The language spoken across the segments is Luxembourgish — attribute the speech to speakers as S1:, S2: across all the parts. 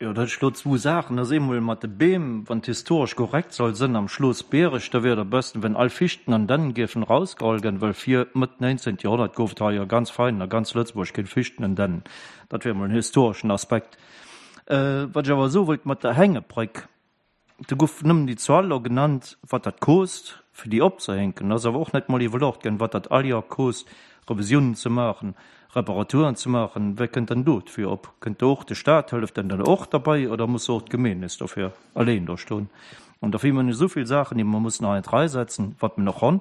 S1: Jo, dat ech lo zwou Saachen. Dat ass eemol mat de Beem, wann et historesch korrekt soll sënn am Schloss Biereg, da wier et am besten, wenn all Fichten an Dännen géifen erausgeholl gënn, well vir Mëtt 19. Joerhonnert gouf et hei jo ganz fein a ganz Lëtzebuerg keng Fichten an Dännen. Dat wier emol en historeschen Aspekt. Wat ech awer soe wollt mat der Hängebréck, Do gouf nëmmen déi Zuel elo genannt, wat dat kost, fir déi opzehänken. Et ass awer och net mol iwwerluecht ginn, wat dat all Joer kost, Revisiounen ze maachen, Reparaturen ze maachen. Wie kënnt dann do dofir op? Kënnt do och de Stat, hëlleft en dann och derbei oder muss och d'Gemeen nees dofir alleen do stoen? An dofir hunn mer esou vill Saachen, déi mer mussen hei an d'Rei setzen, wat mer nach hunn.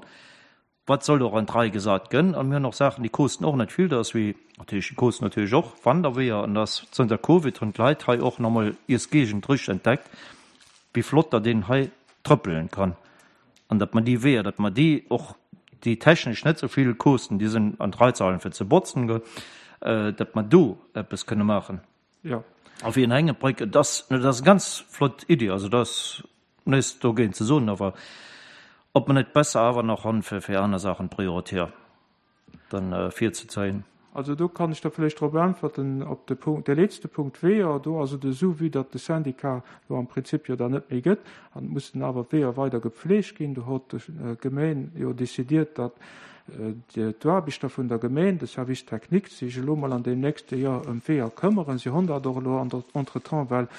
S1: Wat soll och an d'Rei gesat gënn. An mir hunn och Saachen, déi kosten och net vill. Dat ass wéi natierlech, déi kosten natierlech och Wanderweeër. An dass zënter Covid hunn d'Leit hei och nach emol iis Géigend richteg entdeckt, wéi flott datt een hei trëppelen kann. An datt mer déi Weeër, datt mer déi och, déi technesch net esou vill kosten, déi sinn an d'Rei ze halen, fir ze botzen, datt mer do eppes kënne maachen.
S2: Jo.
S1: A fir en Hängebréck, et ass, et ass eng ganz flott Iddi, also dat ass näischt dogéint ze soen, awer ob mer net besser awer nach han fir fir aner Saachen prioritär dann virzezéien.
S2: Also do kann ech da vläicht drop äntwerten, op de Punkt, de letzte Punkt Weeër. Do ass et esou, vue datt de Syndicat elo am Prinzip jo dann net méi gëtt an et mussen awer d'Weeër weider gepflegt ginn, do hott d'Gemeen jo décidiert, datt d'Aarbechter vun der Gemeen, de Service technique, sech elo mol an deem nächste Joer ëm d'Weeër këmmeren. Si honn dat och elo an der entretemps well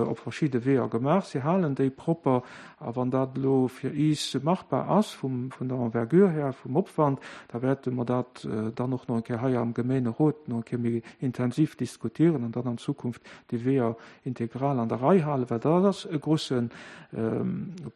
S2: op verschidde Weeër gemaach. Si halen déi propper. A wann dat elo fir iis machbar ass vum, vun der Envergure her, vum Opwand, da wäerte mer dat dann och nach eng Kéier hei am Gemeenerot nach eng Kéier méi intensiv diskutieren an dann an Zukunft déi Weeër integral an der Rei halen, well dat ass e grosse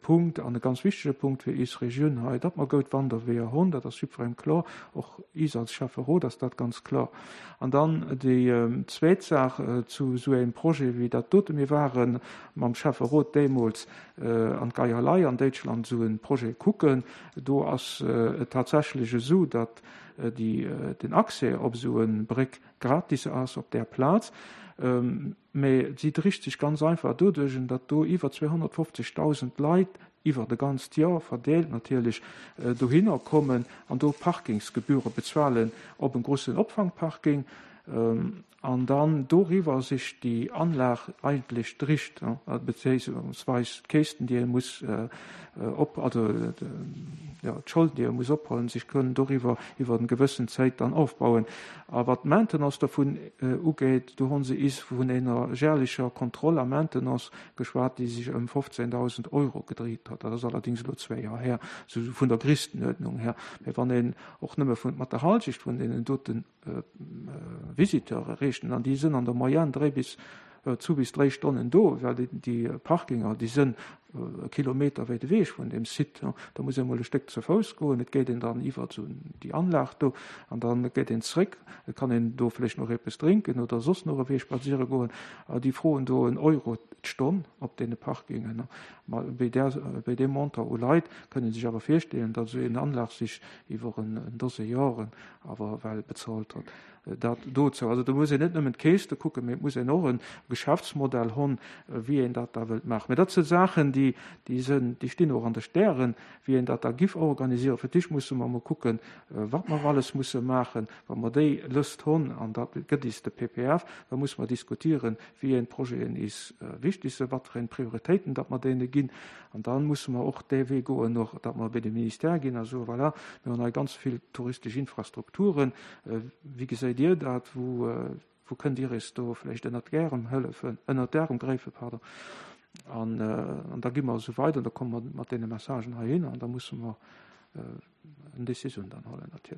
S2: Punkt an e ganz wichtege Punkt fir iis Regioun hei, datt mer goud Wanderweeër hunn. Dat ass jiddwerengem kloer, och iis als Schäfferot ass dat ganz kloer. An dann déi zweet Saach zu esou engem Projet wéi dat dote. Mir ware mam Schäfferot deemools an d'Geierlei an Déitschland esou e Projet kucken. Do ass et tatsächlech esou, datt den Accès op esou e Bréck gratis ass op där Plaz. Mä si dricht sech ganz einfach doduerch, datt do iwwer 250.000 Leit iwwer e ganzt Joer verdeelt natierlech dohinner kommen an do Parkingsgebühre bezuelen op en grossen Opfangparking an dann doriwwer sech déi Anlag eigentlech dricht, bezéiungsweis d'Käschten, déi ee muss op, also jo, d'Scholden, déi ee muss ophuelen, sech kënnen doriwwer iwwer en gewëssen Zäit dann ofbauen. A wat d'Maintenance dovun ugeet, do hu se is vun enger jährlecher Kontroll a Maintenance geschwat, déi sech ëm 15.000 Euro gedréit huet. Dat ass allerdéngs elo zwéi Joer här, esou vun der Grisstenuerdnung här. Mä wann een och nëmme vun, mat der Halschecht vun deenen dote Visiteure rechnen, an déi sënn an der Moyenne dréi bis, zu bis dréi Stonnen do, well déi Parkinger, déi sënn e Kilometer wäit ewech vun deem Site. Da muss ee mol e Stéck ze Fouss goen, et geet een dann iwwer esou déi Anlag do an da geet een zréck. Et kann een do vläicht nach eppes drénken oder soss nach e Wee spadséiere goen. Déi froen do en Euro d'Stonn op deene Parkingen. Ma bei där, bei deem Montant u Leit kënne sech awer virstellen, datt esou een Anlag sech iwwer en Dose Joren awer well bezuelt huet. Dat dozou. Also do muss een net nëmmen d'Keeste kucken, mee et muss een och e Geschäftsmodell hunn, wéi een dat da wëllt maachen. Mee dat si Saachen, déi, déi sinn, déi stinn och an de Stären, wéi een dat da giff organisieren. Fir d'éischt musse mer emol kucken, wat mer alles musse maachen. Wa mer déi Lëscht hunn, an dat gëtt is de PPF, da musse mer diskutieren, wéi een Projeten is wichtig sinn, wat fir eng Prioritéiten datt mer deene ginn. An da musse mer och dee Wee goen, och datt mer bei de Ministère ginn a soen, voilà, mir hunn hei ganz vill touristesch Infrastrukturen, Wéi geséit Dir dat? Wou, wou kënnt Dir eis do vläicht ënnert d'Ärem hëllefen, ënnert d'Ärem gräifen, pardon? An, an da gi mer esou weider, da komme mer mat deene Messagen heihinner an da musse mer eng Décisioun dann huelen natierlech.